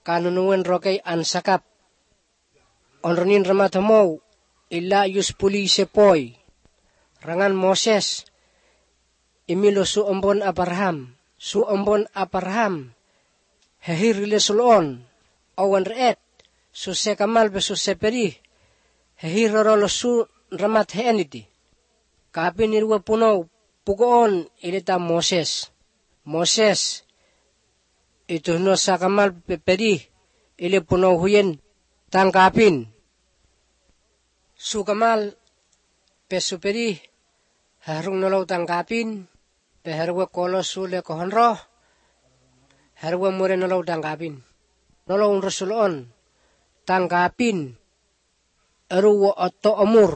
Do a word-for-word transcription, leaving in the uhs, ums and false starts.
kanunuan rokay ansakap. Onronin ramatamaw illa yus pulise poy. Rangan Moses imilo su ombon Abraham. Su ombon Abraham hehirile sulon awan reet su sekamal be su seperi hehirorolo su ramat heeniti. Kapin irwa punaw pugoon ilita Moses. Moses ito no sakamal peperi ili punaw huyen tangkapin. Su kamal pesuperi harung nolaw tangkapin peherwa kolo sule kohonro herwa mure nolaw tangkapin. Nolaw unrosulon tangkapin eruwa otto omur